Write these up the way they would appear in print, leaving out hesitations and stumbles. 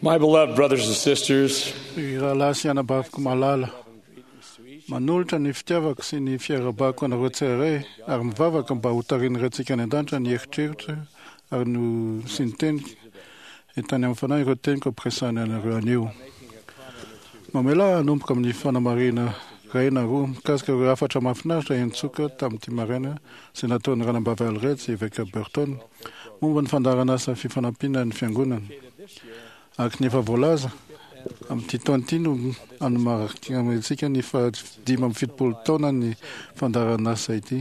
My beloved brothers and sisters, Ry rahalahy sy anabaviko malala, manolotra ny fitiavako sy ny fiarahabako anareo tsirairay ary mivavaka mba hotarihin'ny Raintsika any An-danitra ny eritreritra ary ny sy ny teniko entany amin'ny Fanahy ireo teniko ampiresahana anareo anio. Mamelà ahy hanomboka amin'ny fanamarihana iray na roa mikasika ireo hafatra mahafinaritra henontsika tamin'ity maraina izay nataon'ny Ranabavy Allred sy Eveka Burton momba ny fandaharanasa fifanampiana ny Fiangonana. Araka ny efa voalaza, amin'ity taona ity no hanomarihantsika ny faha-75 taonan'ny fandaharanasa ity,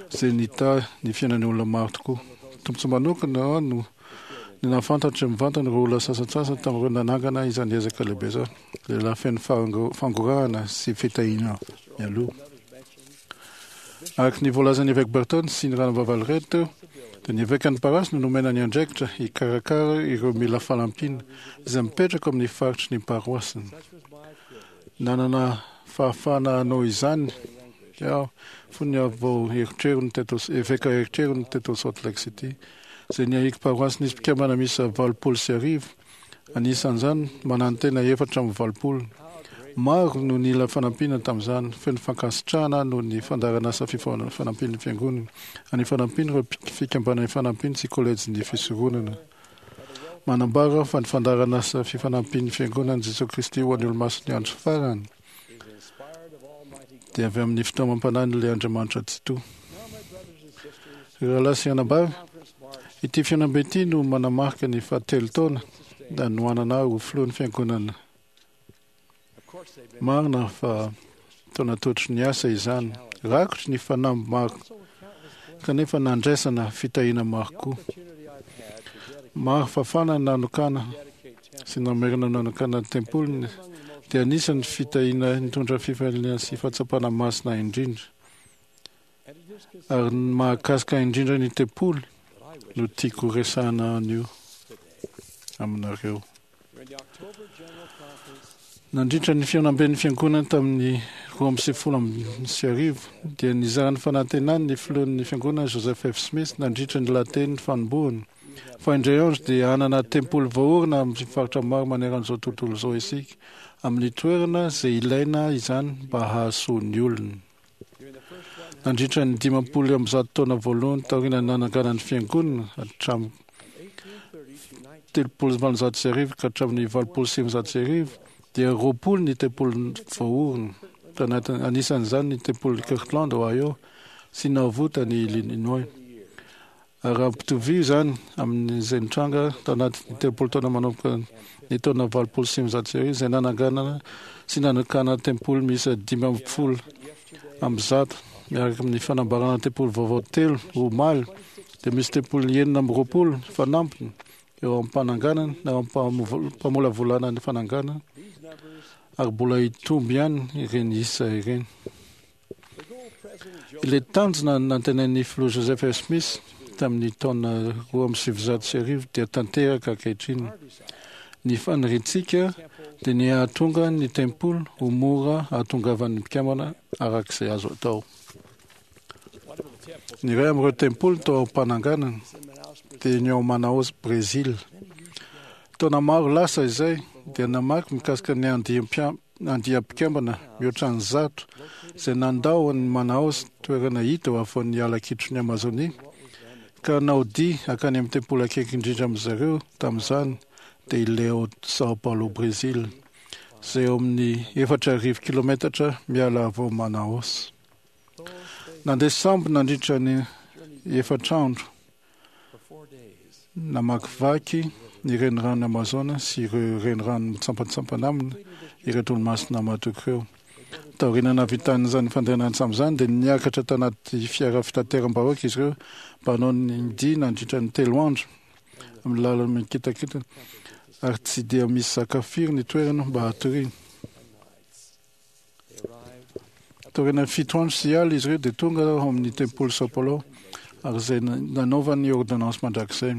izay nitahy ny fiainan'ny olona maro tokoa. Tombontsoa manokana ho ahy no ny nahafantatra mivantana ireo olona sasantsasany tamin'ireo nanangana izany ezaka lehibe izany, lehilahy feno fangorahana sy fitahiana mialoha. Araka ny voalazan'ny Evêque Burton sy ny Ranabavy Allred teo, dia ny Evekan'ny Parasy no nomena ny andraikitra hikarakara ireo mila fanampiana izay mipetraka ao amin'ny faritry ny paroasiny. Nanana fahafahana hanao izany aho fony aho vao herotrerony teto, eveka herotrerony teto Salt Lake City, izay niahiako paroasy nisy mpikambana miisa 1080, Anisan'izany, manantena 84. Maro no nila fanampiana tamin'izany. Feno fankasitrahana aho noho ny fandaharanasa fanampian'ny Fiangonana, any fanampian'ireo fikambanana ifanampiana sy kolejin'ny fisoronana. Manambara aho fa ny fandaharanasa fifanampian'ny Fiangonan'i Jesoa Kristy ho an'ny Olomasin'ny Andro Farany dia avy amin'ny fitaomam-panahin'ilay Andriamanitra Tsitoha. Ry rahalahy sy anabavy, ity fihaonambe ity no manamarika ny fahatelo taona nanohanana ahy ho filohan'ny Fiangonana. Marina fa taona tototry ny asa izany, rakotry ny fanamby maro, kanefa nandraisana fitahiana maro koa. Maro fafana nanokana sy namerina nanokana ny tempoliny dia anisan'ny fitahiana nitondra fifaliana sy fahatsapana masina indrindra. Ary ny mahakasika indrindra ny tempoly no tiako horesahana anio aminareo. Nandritra ny fihaonamben'ny Fiangonana tamin'ny 1092 dia nizara ny fanantenany ny filohan'ny Fiangonana Joseph F. Smith nandritra ny lahateny fanombohana fa indray andro dia hanana tempoly voaorina amin'ny faritra maro maneran'izao tontolo izao isika amin'ny toerana izay ilaina izany mba hahasoa ny olona. Nandritra ny 150 taona voalohany taorian'ny nananganana ny Fiangonana, hatramin'ny 1830 ka hatramin'ny 1980, dia 20 ny tempoly voaorina, tanatin'ny, anisan'izany ny tempolin'i Kirtland, Ohio, sy Nauvoo tany Illinois. Ary raha ampitovio izany amin'izay nitranga tao anatin'ny 30 taona manomboka ny taona 1980 izay nananganana sy nanokana tempoly miisa 115 miaraka amin'ny fanambarana tempoly vaovao telo omaly dia misy tempoly 26 fanampiny eo am-pananganana na eo am-pamolavolana ny fananganana ary mbola hitombo ihany ireny isa ireny. Ilay tanjona nantenain'ny Filoha Joseph F. Smith tamin'ny taona 1902 dia tanteraka ankehitriny. Ny faniriantsika dia ny hahatonga ny tempoly ho mora hahatongavan'ny mpikambana araka izay azo atao. Ny iray amin'ireo tempoly tao am-pananganana dia ny ao Manaus, Brezila. Taona maro lasa izay dia namaky mikasika ny andiam andiam-mpikambana mihoatra ny zato izay nandao an'i Manaus, toerana hita eo afovoan'ny ala kitron'i Amazonia, ka hanao dia hankany amin'ny tempoly akaiky indrindra amin-dry zareo tamin'izany, dia ilay ao São Paulo, Brezila, izay eo amin'ny 4000 kilometatra miala avy ao Manaus. Nandeha sambo nandritra ny efatra andro Namakivaky ny reniranon'i Amazona sy ireo renirano mitsampantsampana aminy ireto olomasina matoky ireo. Taoriana nahavitan'izany fandehanana an-tsambo izany dia niakatra tanaty fiara fitateram-bahoaka izy ireo mba hanao ny dia nandritra ny telo andro amin'ny lalana mikitakitana ary tsy dia misy sakafo firy ny toerana mba hatoriana. Taorian'ny fito andro sy alina izy ireo dia tonga ao amin'ny tempoly Sao Paulo ary izay nanaovany ny ôrdônansy mandrakizay.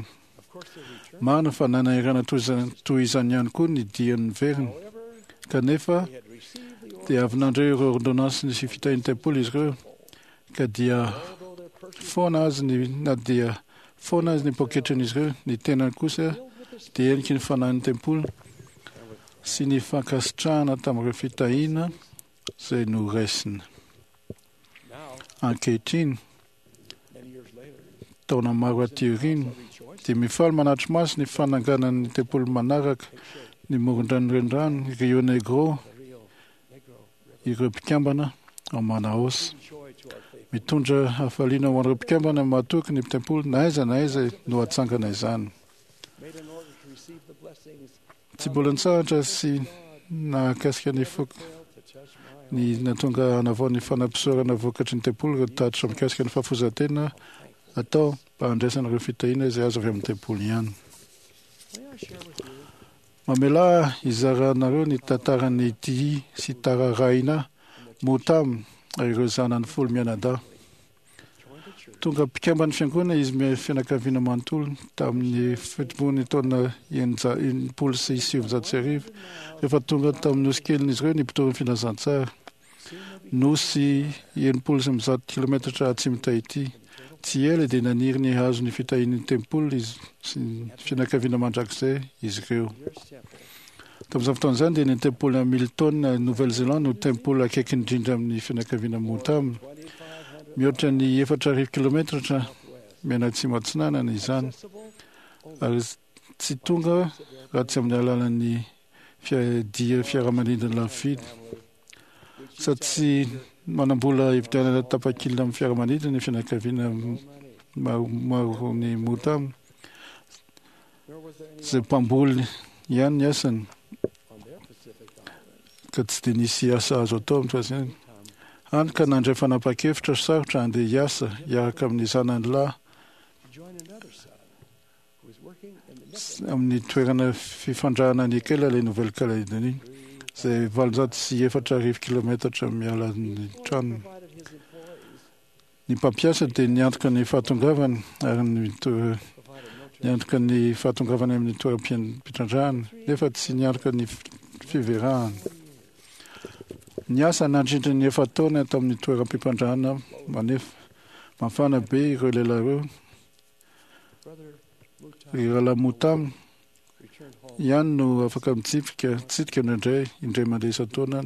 Marina fa nanahirana toy izany ihany koa ny diany niverina. Kanefa dia avy nandre ireo ôrdônansy sy fitahian'ny tempoly izy ireo ka dia foana azy ny na dia foana azy ny poketran'izy ireo, ny tenany kosa. dia heniky ny fanahin'ny tempoly sy ny fankasitrahana tamin'ireo fitahiana izay noraisina. Ankehitriny, taona maro aty aoriana, dia mifaly manatri-maso ny fananganan'ny tempoly manaraka ny morondrano renirano Rio Negro ireo mpikambana ao Manaus. Mitondra hafaliana ho an'ireo mpikambana mahatoky ny tempoly na aiza na aiza no hatsangana izany. Tsy mbola nitsahatra sy nahakasika ny foko ny nahatonga hanavao ny fanampisorana vokatry ny tempoly ireo tatitra mikasika ny fahafoizan-tena atao mba handraisana ireo fitahiana izay azo avy amin'ny tempoly ihany. Mamelà hizaranareo ny tantaran'i Tihi sy Tararaina Motam ary ireo zanany 10 mianadahy. Tonga mpikamban'ny fiangonana izy fianakaviana manontolo tamin'ny fitomboan'ny taona 1960 rehefa tonga tamin'ny nosy kelin'izy ireo ny mpitory ny filazantsara. Nosy 160 kilometatra atsimo Tahiti. Tsy ela dia naniry ny hahazo ny fitahian'ny tempoly izy sy ny fianakaviana mandrakizay izy ireo. Tamin'izany fotoana izany dia ny tempoly Hamilton, Nouvelle-Zélande no tempoly akaiky indrindra amin'ny fianakaviana Motam. Mihoatra ny 4000 kilometatra mianatsimo atsinanana izany ary tsy tonga raha tsy amin'ny alalan'ny dia fiaramanidina lafo vidy. Sady tsy manam-bola hividianana tapakila amin'ny fiaramanidina ny fianakaviana maro ny Motam izay mpamboly ihany ny asany ka tsy dia nisy asa azo atao amin'ny fahazany. Hany ka nandray fanapahan-kevitra sarotra handeha hiasa hiaraka amin'ny zanany lahy amin'ny toerana fifandrahana nikela ilay Nouvelle-Calédonie izay 804 kilometatra miala ny tranony. Ny mpampiasa dia niantoka ny fahatongavany ary niantoka ny fahatongavany amin'ny toeram-pitrandrahana nefa tsy niantoka ny fiverahana. Niasa nandritra ny 4 taona tamin'ny toeram-pitrandrahana manefa mafana be ireo lehilahy ireo. Ry rahalahy Motam ihany no afaka mitsipika tsidika indraindray indray mandeha isan-taona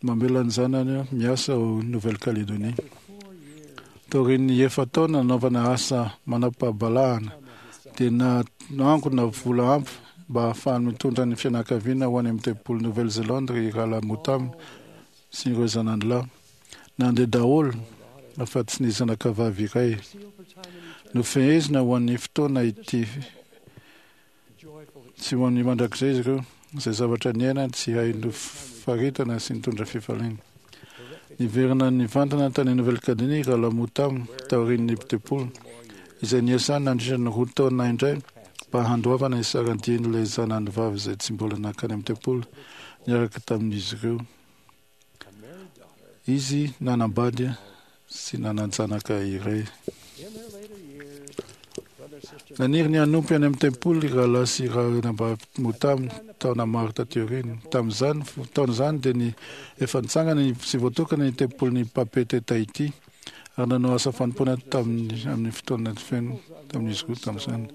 mamela ny zanany miasa ao Nouvelle-Calédonie. Taorian'ny 4 taona nanaovana asa manam-pahabalahana dia nangona vola ampy mba hahafahany mitondra ny fianakaviana ho any amin'ny tempoly Nouvelle-Zélande ry rahalahy Motam sy ireo zanany lahy. Nandeha daholo afa-tsy ny zanakavavy iray. Nofehezina ho an'ny fotoana ity tsy ho an'ny mandrakizay izy ireo, izay zavatra niainany tsy hay nofaritana sy nitondra fifaliana. Niverina nivantana tany Nouvelle-Calédonie rahalahy Motam taorian'ny tempoly, izay niasany nandritra ny 2 taona indray mba handoavana ny saran-dian'ilay zanany vavy izay tsy mbola nankany amin'ny tempoly niaraka tamin'izy ireo. Izy nanambady sy nanan-janaka iray. Naniry ny hanompo any amin'ny tempoly rahalahy sy ranabavy Motam taona maro taty aoriana. Tamin'izany taona izany dia ny efa nitsangana sy voatokana ny tempolin'ny Papeete Tahiti ary nanao asa fanompoana tamin'ny amin'ny fotoana feno tamin'izy roa tamin'izany.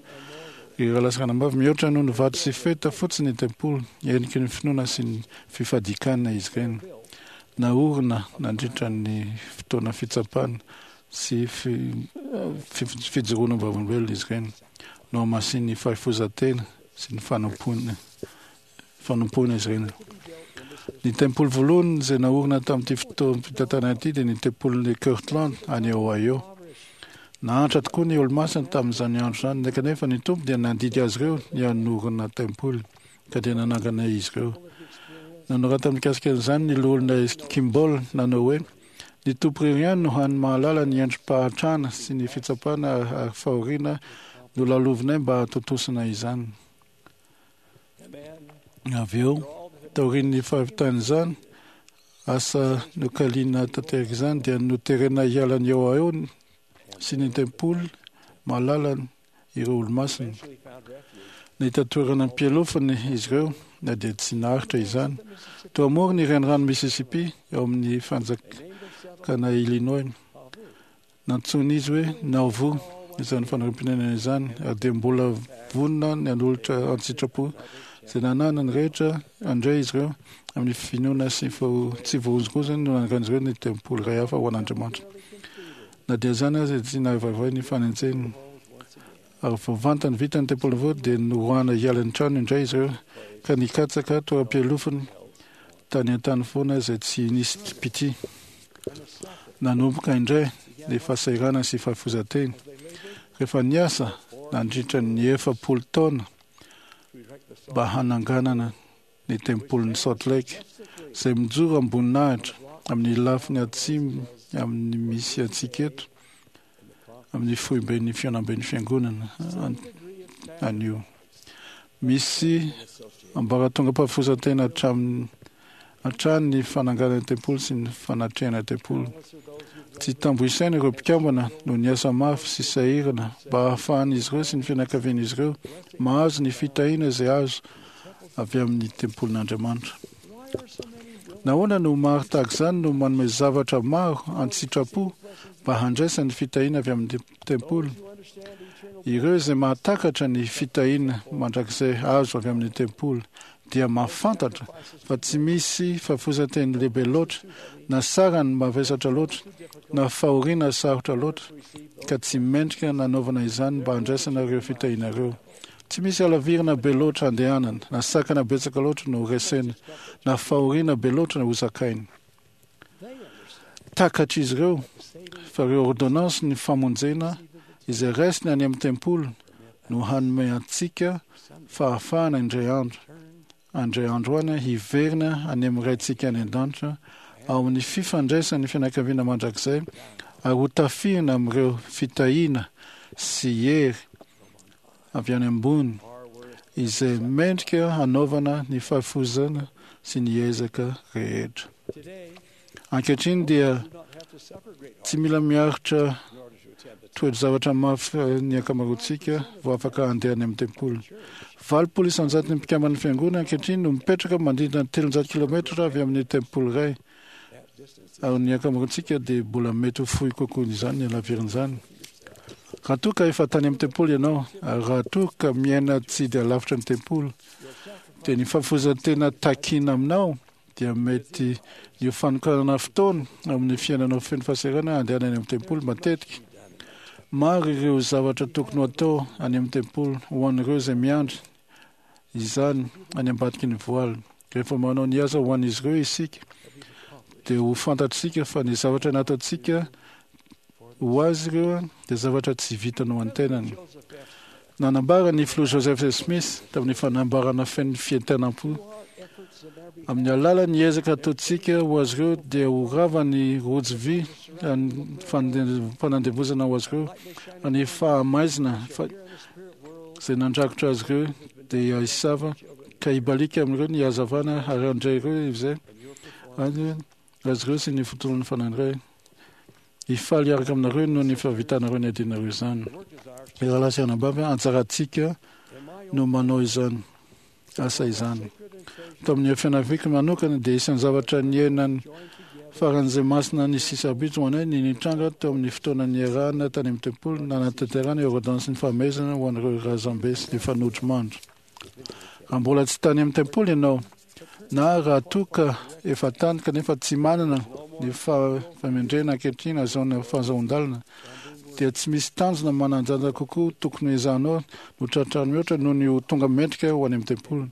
Ry rahalahy sy ranabavy, mihoatra noho ny vato sy feta fotsiny ny tempoly, heniky ny finoana sy ny fifadikana izy ireny. Naorina nandritra ny fotoana fitsapana sy fijoroana vavolombelona izy ireny. Nohamasinin'ny fahafoizan-tena sy ny fanompoana izy ireny. Ny tempoly voalohany izay naorina tamin'ity fotoam-pitantanana ity dia ny tempolin'i Kirtland any Ohio. Nahantra tokoa ny olomasina tamin'izany andro izany, kanefa ny Tompo dia nandidy azy ireo ny hanorina tempoly, ka dia nanangana izy ireo. Nanorata mikasika an'izany ny loholona Kimball nanao hoe: Ny Tompo irery ihany no hany mahalala ny endri-pahantrana sy ny fitsapana ary fahoriana nolalovinay mba hahatontosana izany. Avy eo, taorian'ny fahavitan'izany asa nokaliana tanteraka izany, dia noterena hiala ny Ohio sy ny tempoly malalany ireo olomasina. Nahita toerana am-pialofana izy ireo na dia tsy naharitra izany. Teo amoron'ny renirano Mississippi eo amin'ny fanjakana Illinois. Nantsoin'izy hoe Nauvoo. izany fanarim-pinenana izany ary dia mbola vonona ny hanolotra an-tsitrapo izay nananany rehetra handray izy ireo amin'ny finoana sy tsy voahozongozona no nanangan'izy ireo ny tempoly iray hafa ho an'Andriamanitra. Na dia izany aza dia tsy nahaivavay ny fanenjehina. Ary vao vantany vita ny tempoly vaovao dia noroahana hiala ny trano indray izy ireo ka nikatsaka toeram-pialofana tany an-tany foana izay tsy nisy mpitia. Nanomboka indray ny fahasahiranana sy fahafoizan-tena. Rehefa niasa nandritra ny 40 taona mba hananganana ny tempolin'i Salt Lake, izay mijoro am-boninahitra amin'ny lafiny atsimo amin'ny misy antsika eto, amin'ny foiben'ny fihaonamben'ny fiangonana anio. Misy ambaratongam-pahafoizan-tena hatramin'ny hatrany ny fananganana tempoly sy ny fanatrehana tempoly. Tsy tambo isaina ireo mpikambana no niasa mafy sy sahirana mba hahafahan'izy ireo sy ny fianakavian'izy ireo mahazo ny fitahiana izay azo avy amin'ny tempolin'Andriamanitra. Nahoana no maro tahaka izany no manome zavatra maro an-tsitrapo mba handraisany ny fitahiana avy amin'ny tempoly? Ireo izay mahatakatra ny fitahiana mandrakizay azo avy amin'ny tempoly dia mahafantatra fa tsy misy fahafoizan-teny lehibe loatra, na sarany mavesatra loatra, na fahoriana sarotra loatra, ka tsy mendrika nanaovana izany mba handraisana ireo fitahiana ireo. Tsy misy halavirana be loatra handehanana, na sakana betsaka loatra no horesena, na fahoriana be loatra no hozakaina. Takatr'izy ireo fa ireo ôrdônansin'ny famonjena izay raisina any amin'ny tempoly no hanome antsika fahafahana indray andro indray andro any hiverina any amin'ny Raintsika any An-danitra ao amin'ny fifandraisan'ny fianakaviana mandrakizay ary ho tafihina amin'ireo fitahiana sy hery avy any ambony izay mendrika hanaovana ny fahafoizana sy ny ezaka rehetra. Ankehitriny dia tsy mila miaritra toe-javatra mafy ny ankamaroantsika vao afaka handeha any amin'ny tempoly. 80 isan-jaton'ny mpikamban'ny fiangonana ankehitriny no mipetraka manodidina ny 300 kilometatra avy amin'ny tempoly iray, ary ny ankamaroantsika dia mbola mety ho fohy kokoa izany ny halaviran'izany. Raha toa ka efa tany amin'ny tempoly ianao, ary raha toa ka miaina tsy dia lavitra ny tempoly, dia ny fahafoizan-tena takina aminao dia mety ny ho fanokanana fotoana amin'ny fiainanao feno fahasahiranana handehanana any amin'ny tempoly matetika. Maro ireo zavatra tokony ho atao any amin'ny tempoly ho an'ireo izay miandry izany any ambadiky ny voaly. Rehefa manao ny asa ho an'izy ireo isika, dia ho fantatsika fa ny zavatra nataontsika ho azy ireo dia zavatra tsy vitany ho an-tenany. Nanambara ny Filoha Joseph Smith tamin'ny fanambarana feno fientanam-po, Amin'ny alalan'ny ezaka ataontsika ho azy ireo dia ho rava ny rojo vy fanandevozana ho azy ireo, ny fahamaizina izay nandrakotra azy ireo dia hisava ka hibaliaka amin'ireo ny hazavana ary handray ireo izay azy ireo sy ny fotoan'ny fanandray. Hifaly hiaraka aminareo noho ny fahavitanareo ny adinareo izany. Ry rahalahy sy anabavy, anjarantsika no manao izany asa izany. Tao amin'ny fianakaviako manokana dia isan'ny zavatra niainany faran'izay masina ny sisabitso ho anay ny nitranga teo amin'ny fotoana niarahana tany amin'ny tempoly nanatanterahana ireo ôrdônansin'ny fahamehezana ho an'ireo razambe sy ny fanodrimandry. Raha mbola tsy tany amin'ny tempoly ianao, na raha toa ka efa tany kanefa tsy manana ny fahamendrehana ankehitriny ahazoana fahazoan-dalana, dia tsy misy tanjona manan-danja kokoa tokony hoezahanao no tratrarina mihoatra noho ny ho tonga mendrika ho any amin'ny tempoly.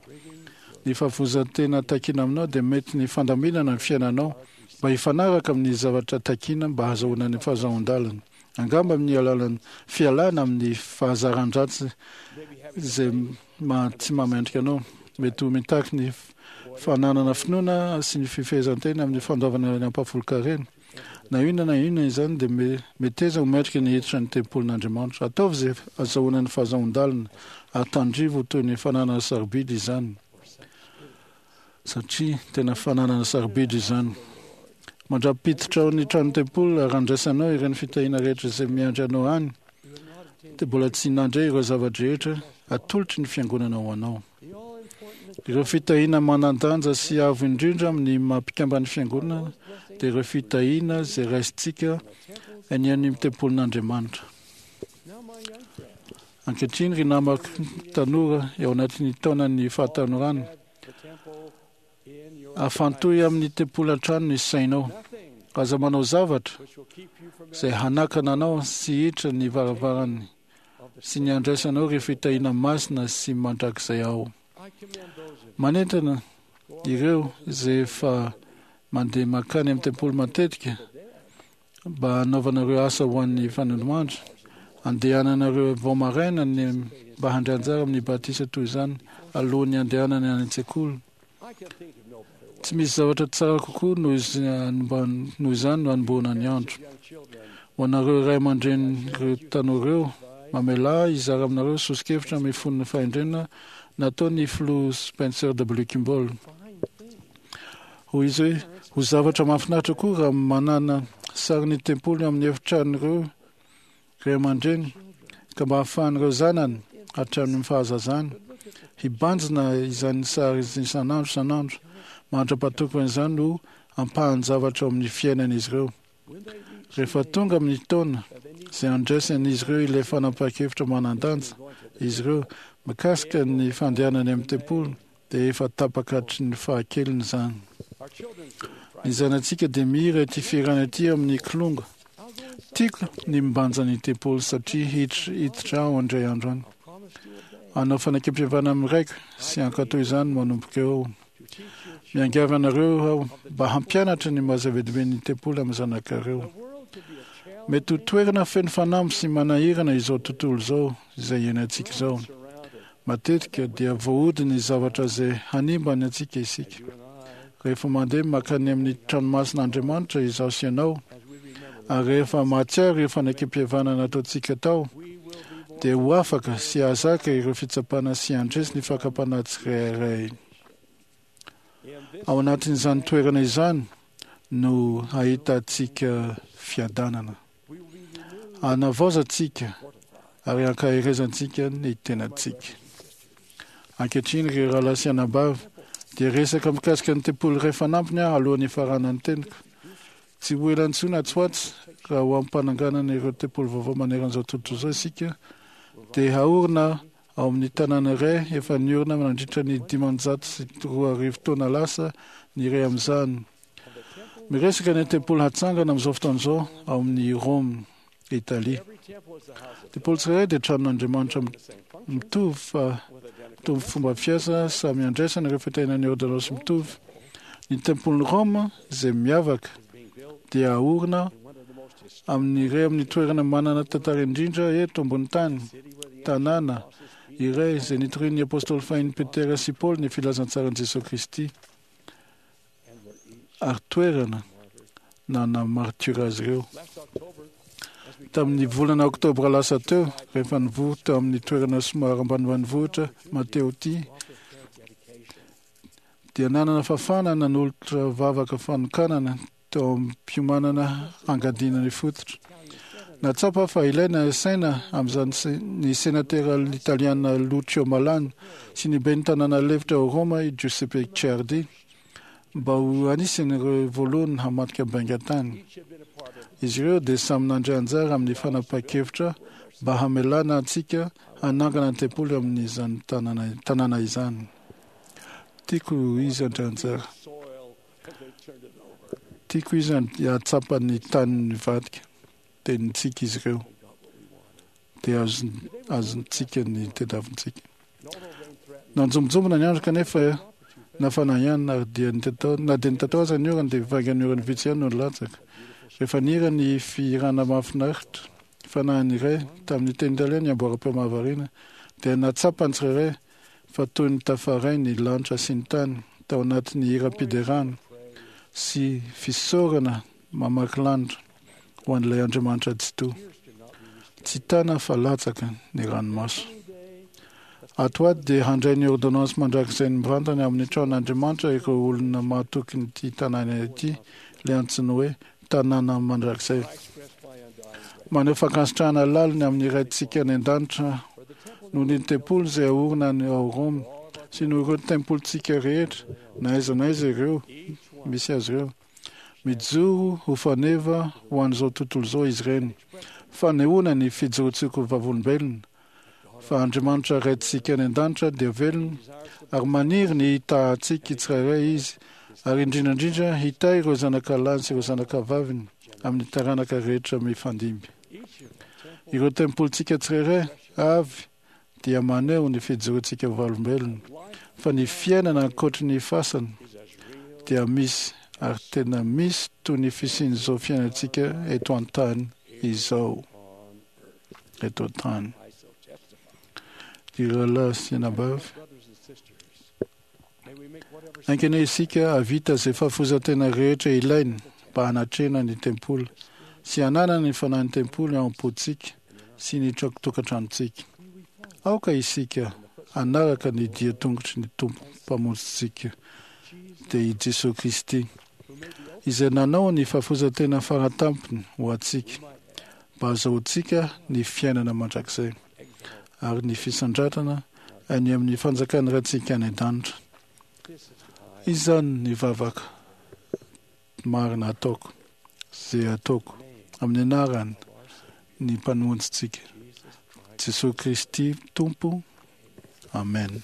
Ny fahavozan-tena takiana aminao dia mety ny fandaminana ny fiainanao mba hifanaraka amin'ny zavatra takiana mba hahazahoana ny fahazoan-dalana. Angamba amin'ny alalan'ny fialana amin'ny fahazaran-dratsy izay tsy mahamendrika anao. Mety ho mitaky ny fananana finoana sy ny fifehezan-tena amin'ny fandoavana ny ampahafolon-karena. Na inona na inona izany dia meteza ho mendrika ny hiditra ny tempolin'Andriamanitra. Ataovy izay azahoana ny fahazahoan-dalana ary tandrivo ho toy ny fananana sarobidy izany. Satria tena fananana sarobidy izany. Mandra-piditra ao ny trano tempoly ary handraisanao ireny fitahiana rehetra izay miandry anao any, dia mbola tsy nandre ireo zava-drehetra atolotry ny fiangonana ho anao. Ireo fitahiana manan-danja sy avo indrindra amin'ny maha mpikamban'ny fiangonana dia ireo fitahiana izay raisintsika any amin'ny tempolin'Andriamanitra. Ankehitriny, ry namako tanora eo anatin'ny taonan'ny fahatanorana, afantohy amin'ny tempoly an-trano ny sainao. Aza manao zavatra izay hanakana anao sy hiditra ny varavarany sy ny handraisanao ireo fitahiana masina sy mandrakizay ao. Manentana ireo izay efa mandeha mankany amin'ny tempoly matetika mba hanaovanareo asa ho an'ny fanondroandro, andehananareo vao maraina ny mba handray anjara amin'ny batisa toy izany alohan'ny handehanana any an-tsekoly. Tsy misy zavatra tsara kokoa noho izany no hanombohana ny andro. Ho anareo ray aman-drenin'ireo tanora ireo, mamelà ahy hizara aminareo soso-kevitra mifono fahendrena nataon'ny Filoha Spencer W. Kimball. Hoy izy hoe, Ho zavatra mahafinaritra koa raha manana sarin'ny tempoly amin'ny efitranon'ireo ray aman-dreny, ka mba hahafahan'ireo zanany, hatramin'ny fahazazany, hibanjina izany sary isan'andro isan'andro, mandra-pahatokon'izany ho ampahan-javatra ao amin'ny fiainan'izy ireo. Rehefa tonga amin'ny taona izay handraisan'izy ireo ilay fanapahan-kevitra manan-danja izy ireo mikasika ny fandehanany amin'ny tempoly, dia efa tapaka hatry ny fahakeliny izany. Ny zanatsika dia mihira ity fihirana ity amin'ny kilonga. Tiako ny mibanja ny tempoly satria hiditra aho indray andro any. Hanao fanekempihavanana amin'ny Raiko sy hankatò izany manomboka eo aho. Miangavy anareo aho mba hampianatra ny maha zava-dehibe ny tempoly amin'ny zanakareo. Mety ho toerana feno fanamby sy manahirana izao tontolo izao izay iainantsika izao. Matetika dia voahodin'ny zavatra izay hanimba ny antsika isika. Rehefa mandeha mankany amin'ny tranomasin'Andriamanitra izaho sy ianao, ary rehefa mahatsiaro ireo fanekempihavanana nataontsika tao, dia ho afaka sy hahazaka ireo fitsapana sy handresy ny fakam-panahy tsirairay. Ao anatin'izany toerana izany no hahitantsika fiadanana. Hanavaozantsika ary hankaherezantsika ny tenantsika. Ankehitriny, ry rahalahy sy anabavy, dia hiresaka mikasika ny tempoly iray fanampiny aho alohan'ny hifaranan'ny teniko. Tsy ho ela intsony atsy ho atsy, raha ho am-pananganana ireo tempoly vaovao manerana izao tontolo izao isika, dia haorina ao amin'ny tanàna iray efa niorina nandritra ny 2500 taona lasa ny iray amin'izany. Miresaka ny tempoly hatsangana amin'izao fotoana izao ao amin'ny Rome, Italia. Tempoly tsirairay dia tranon'Andriamanitra mitovy fa mitovy fomba fiasa samy andraisana ireo fitahiana ny ôrdônansy mitovy. Ny tempolin'i Rome izay miavaka dia aorina amin'ny iray amin'ny toerana manana tantara indrindra eto ambony tany, tanàna iray izay nitorian'ny apôstôly fahiny Petera sy Paoly ny filazantsaran'i Jesoa Kristy. ary toerana nanamartiora azy ireo. Tamin'ny volana oktobra lasa teo, rehefa nivory teo amin'ny toerana somary ambanimbanivohitra Matteotti, dia nanana fahafahana nanolotra vavaka fanokanana teo am-piomanana hangadiana ny fototra. Nahatsapa fa ilaina saina amin'izany ny senatera italiana Lucio Malan sy ny ben'ny tanàna lefitra ao Roma i Giuseppe Ciardi mba ho anisan'ireo voalohany hamadika baingan-tany. Izy ireo dia samy nandray anjara amin'ny fanapahan-kevitra mba hamelana antsika hanangana ny tempoly amin'izany tanàna izany. Tiako izy handray anjara. Tiako izy hahatsapa ny tany nivadika. Dia nitsiky izy ireo. Dia azontsika ny tediavintsika. Nanjombonjombona ny andro kanefa nafana ihany ary dia nitatao, na dia nitatao aza ny orana dia vaingan'ny orana vitsy ihany no nilatsaka. Rehefa nihira ny fihirana mahafinaritra, fanahiny iray, tamin'ny teny italiana ny amboaram-peo mahavariana, dia nahatsapa ny tsirairay fa toy ny tafaray ny lanitra sy ny tany tao anatin'ny hiram-piderana sy fisaorana mamaky lanitra ho an'ilay Andriamanitra Tsitoha. Tsy tana fa latsaka ny ranomaso. Ato ho ato dia handray ny ôrdônansy mandrakizainy mivantana amin'ny tranon'Andriamanitra ireo olona mahatokin'ity tanàna ity, ilay antsoina hoe tanàna mandrakizay. Maneho fankasitrahana lalina amin'ny Raintsika any An-danitra noho ny tempoly izay aorina any ao Roma sy noho ireo tempolintsika rehetra na aiza na aiza ireo misy azy ireo. Mijoro ho faneva ho an'izao tontolo izao izy ireny, fanehoana ny fijoroantsika ho vavolombelona. fa Andriamanitra Raintsika any an-danitra dia velona ary maniry ny hitahantsika tsirairay Izy, ary indrindra indrindra hitahy ireo zanaka lahiny sy ireo zanaka vaviny amin'ny taranaka rehetra mifandimby. Ireo tempolintsika tsirairay avy dia maneho ny fijoroantsika vavolombelona fa ny fiainana ankoatry ny fasana dia misy ary tena misy toy ny fisian'izao fiainantsika eto an-tany izao. Eto an-tany. Ry rahalahy sy anabavy, haingana isika hahavita izay fahafoizan-tena rehetra ilaina mba hanatrehana ny tempoly sy hananana ny fanahin'ny tempoly ao am-pontsika sy ny tokantranontsika. Aoka isika hanaraka ny dia tongotry ny Tompo Mpamonjintsika, dia i Jesoa Kristy, izay nanao ny fahafoizan-tena faratampony ho antsika mba hahazoantsika ny fiainana mandrakizay ary ny fisandratana any amin'ny fanjakan'ny Raintsika any an-danitra. Izany ny vavaka marina ataoko, izay ataoko amin'ny anarany ny Mpamonjintsika, Jesoa Kristy Tompo. Amen.